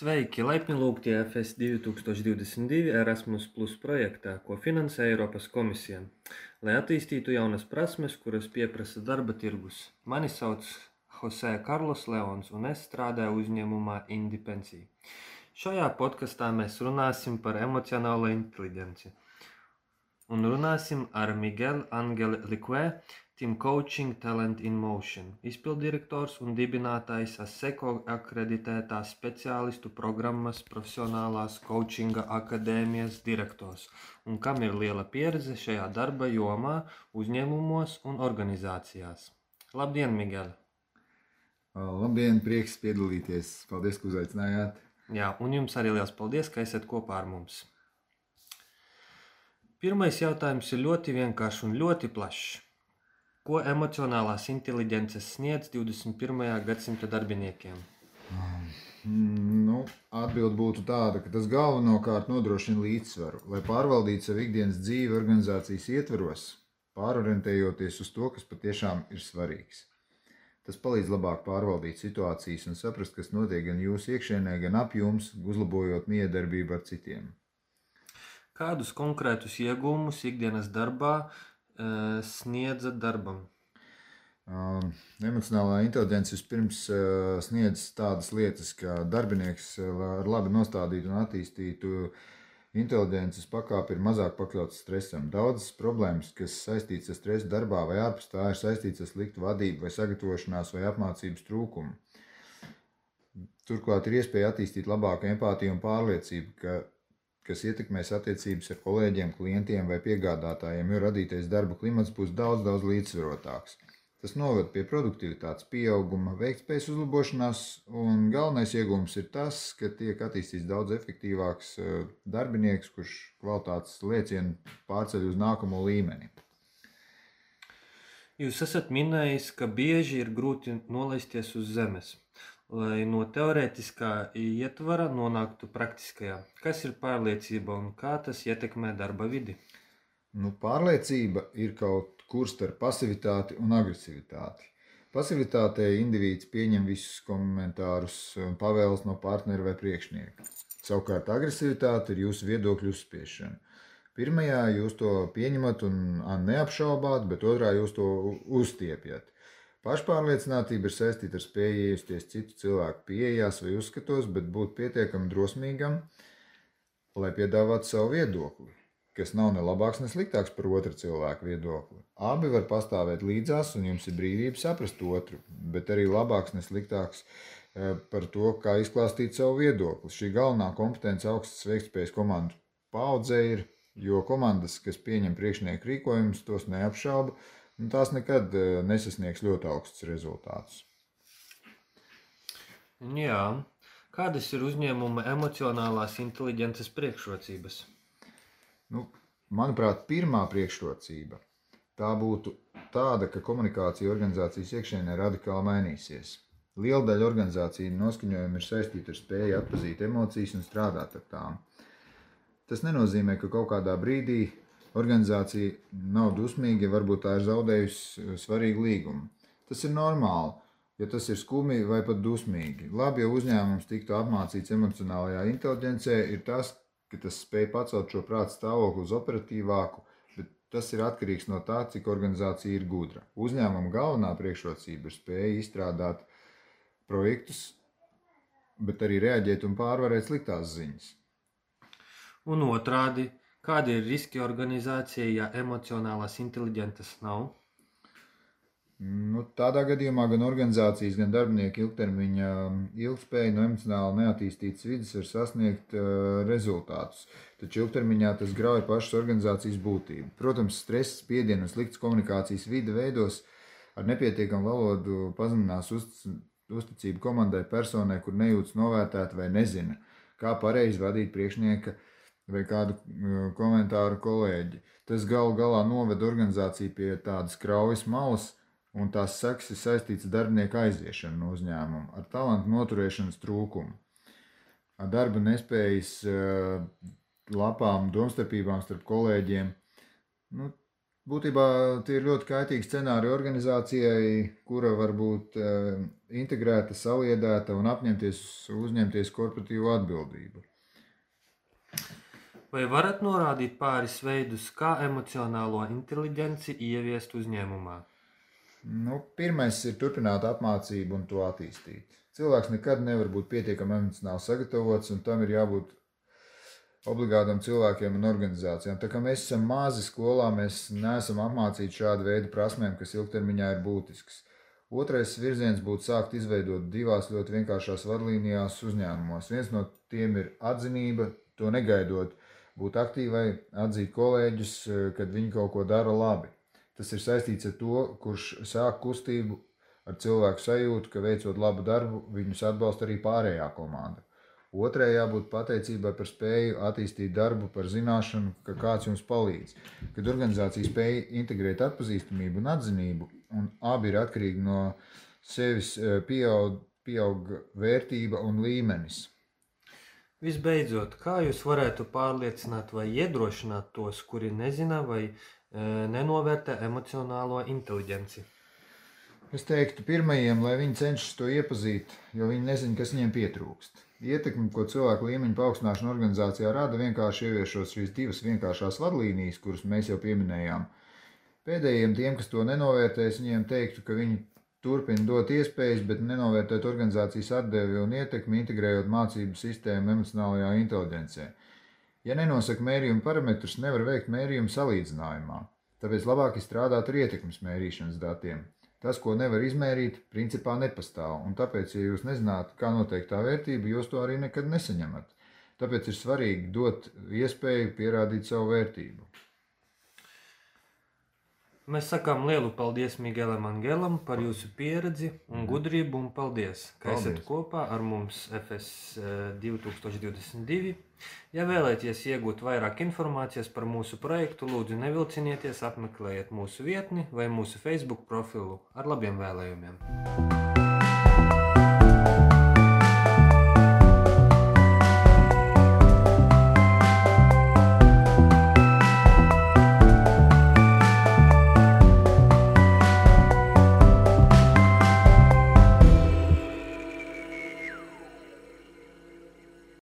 Sveiki! Laipni lūgti FS 2022 Erasmus Plus projektā, ko finansē Eiropas komisija, lai attīstītu jaunas prasmes, kuras pieprasa darba tirgus. Mani sauc Jose Carlos Leons, un es strādāju uzņēmumā Indipensī. Šajā podkastā mēs runāsim par emocionālo inteliģenci. Un runāsim ar Miguel Angel Liquē, Team Coaching Talent in Motion, izpildirektors un dibinātājs ASECO akreditētās speciālistu programmas profesionālās coachinga akadēmijas direktors, un kam ir liela pieredze šajā darba jomā, uzņēmumos un organizācijās. Labdien, Miguel! Labdien, prieks piedalīties. Paldies, ka uzaicinājāt. Jā, un jums arī liels paldies, ka esat kopā ar mums. Pirmais jautājums ir ļoti vienkāršs un ļoti plašs. Ko emocionālās inteliģences sniedz 21. gadsimta darbiniekiem? Atbilde būtu tāda, ka tas galvenokārt nodrošina līdzsvaru, lai pārvaldītu savu ikdienas dzīvi organizācijas ietvaros, pārorientējoties uz to, kas patiešām ir svarīgs. Tas palīdz labāk pārvaldīt situācijas un saprast, kas notiek gan jūsu iekšienē, gan ap jums, uzlabojot miedarbību ar citiem. Kādus konkrētus iegūmus ikdienas darbā sniedza darbam? Emocionālā inteligence vispirms sniedz tādas lietas, ka darbinieks ar labi nostādītu un attīstītu inteliģences pakāpi ir mazāk pakļauts stresam. Daudzas problēmas, kas saistītas ar stresu darbā vai ārpus tā, ir saistītas ar sliktu vadību vai sagatavošanās vai apmācības trūkumu. Turklāt ir iespēja attīstīt labāku empātiju un pārliecību, kas ietekmēs attiecības ar kolēģiem, klientiem vai piegādātājiem, jo radītais darba klimats būs daudz līdzsvarotāks. Tas noved pie produktivitātes pieauguma, veiktspējas uzlabošanās, un galvenais iegūms ir tas, ka tiek attīstīts daudz efektīvāks darbinieks, kurš kvalitātes liecienu pārceļ uz nākamo līmeni. Jūs esat minējis, ka bieži ir grūti nolaisties uz zemes, lai no teorētiskā ietvara nonāktu praktiskajā. Kas ir pārliecība un kā tas ietekmē darba vidi? Pārliecība ir kaut kur starp pasivitāti un agresivitāti. Pasivitātē indivīds pieņem visus komentārus un pavēles no partnera vai priekšnieka. Savukārt agresivitāte ir jūsu viedokļu uzspiešana. Pirmajā jūs to pieņemat un neapšaubāt, bet otrā jūs to uzstiepjat. Pašpārliecinātība ir saistīta ar spēju iejusties citu cilvēku pieejās vai uzskatos, bet būt pietiekami drosmīgam, lai piedāvātu savu viedokli, kas nav ne labāks, ne sliktāks par otru cilvēku viedokli. Abi var pastāvēt līdzās, un jums ir brīvība saprast otru, bet arī labāks, ne sliktāks par to, kā izklāstīt savu viedokli. Šī galvenā kompetence augstas veiktspējas komandu paaudzē ir, jo komandas, kas pieņem priekšnieku rīkojumus, tos neapšauba, un tās nekad nesasniegs ļoti augstus rezultātus. Jā. Kādas ir uzņēmuma emocionālās inteliģences priekšrocības? Manuprāt, pirmā priekšrocība tā būtu tāda, ka komunikācija organizācijas iekšienē radikāli mainīsies. Liela daļa organizāciju noskaņojumi ir saistīti ar spēju atpazīt emocijas un strādāt ar tām. Tas nenozīmē, ka kaut kādā brīdī organizācija nav dusmīga, varbūt tā ir zaudējusi svarīgu līgumu. Tas ir normāli, ja tas ir skumji vai pat dusmīgi. Labi, ja uzņēmums tiktu apmācīts emocionālajā inteliģencē, ir tas, ka tas spēj pacelt šo prāta stāvokli uz operatīvāku, bet tas ir atkarīgs no tā, cik organizācija ir gudra. Uzņēmuma galvenā priekšrocība ir spēja izstrādāt projektus, bet arī reaģēt un pārvarēt sliktās ziņas. Un otrādi, kādi ir riski organizācijai, ja emocionālās inteliģences nav? Tādā gadījumā gan organizācijas, gan darbinieki ilgtermiņa ilgspēja no emocionāli neattīstītas vides var sasniegt rezultātus, taču ilgtermiņā tas grauj pašas organizācijas būtību. Protams, stress, spiedienu un sliktas komunikācijas vide veidos ar nepietiekamu valodu pazeminās uzticību komandai, personai, kur nejūtas novērtēta vai nezina, kā pareizi vadīt priekšnieka vai kādu komentāru kolēģi. Tas galu galā noved organizāciju pie tādas kraujas malas, un tās sekas ir saistīts ar darbinieku aiziešanu no uzņēmuma, ar talantu noturēšanas trūkumu, ar darba nespējas lapām, domstarpībām starp kolēģiem. Būtībā tie ir ļoti kaitīgi scenāriji organizācijai, kura var būt integrēta, saliedēta un uzņemties korporatīvo atbildību. Vai varat norādīt pāris veidus, kā emocionālo inteliģenci ieviest uzņēmumā? Pirmais ir turpināt apmācību un to attīstīt. Cilvēks nekad nevar būt pietiekami emocionāli sagatavots, un tam ir jābūt obligātam cilvēkiem un organizācijām. Tā kā mēs esam mazi skolā, mēs neesam apmācīti šādu veidu prasmēm, kas ilgtermiņā ir būtisks. Otrais virziens būtu sākt izveidot divās ļoti vienkāršās vadlīnijās uzņēmumos. Viens no tiem ir atzinība, to negaidot, būt aktīvai, atzīt kolēģus, kad viņi kaut ko dara labi. Tas ir saistīts ar to, kurš sāk kustību ar cilvēku sajūtu, ka veicot labu darbu, viņus atbalsta arī pārējā komanda. Otrai jābūt pateicībai par spēju attīstīt darbu, par zināšanu, ka kāds jums palīdz. Kad organizācija spēj integrēt atpazīstamību un atzinību, un abi ir atkarīgi no sevis, pieaug vērtība un līmenis. Visbeidzot, kā jūs varētu pārliecināt vai iedrošināt tos, kuri nezina vai nenovērtē emocionālo inteliģenci? Es teiktu pirmajiem, lai viņi cenšas to iepazīt, jo viņi nezina, kas viņiem pietrūkst. Ietekmi, ko cilvēku līmeņa paaugstināšana organizācijā rada, vienkārši ieviešot šīs divas vienkāršās vadlīnijas, kuras mēs jau pieminējām. Pēdējiem tiem, kas to nenovērtēs, viņiem teiktu, ka viņi turpina dot iespējas, bet nenovērtēt organizācijas atdevi un ietekmi, integrējot mācību sistēmu emocionālajā inteliģencē. Ja nenosaka mērījuma parametrus, nevar veikt mērījumu salīdzinājumā. Tāpēc labāk ir strādāt ar ietekmes mērīšanas datiem. Tas, ko nevar izmērīt, principā nepastāv, un tāpēc, ja jūs nezināt, kā noteikt tā vērtība, jūs to arī nekad nesaņemat. Tāpēc ir svarīgi dot iespēju pierādīt savu vērtību. Mēs sakām lielu paldies Miguelam Angelam par jūsu pieredzi un gudrību, un paldies, ka esat kopā ar mums FS 2022. Ja vēlaties iegūt vairāk informācijas par mūsu projektu, lūdzu nevilcinieties, apmeklējiet mūsu vietni vai mūsu Facebook profilu. Ar labiem vēlējumiem!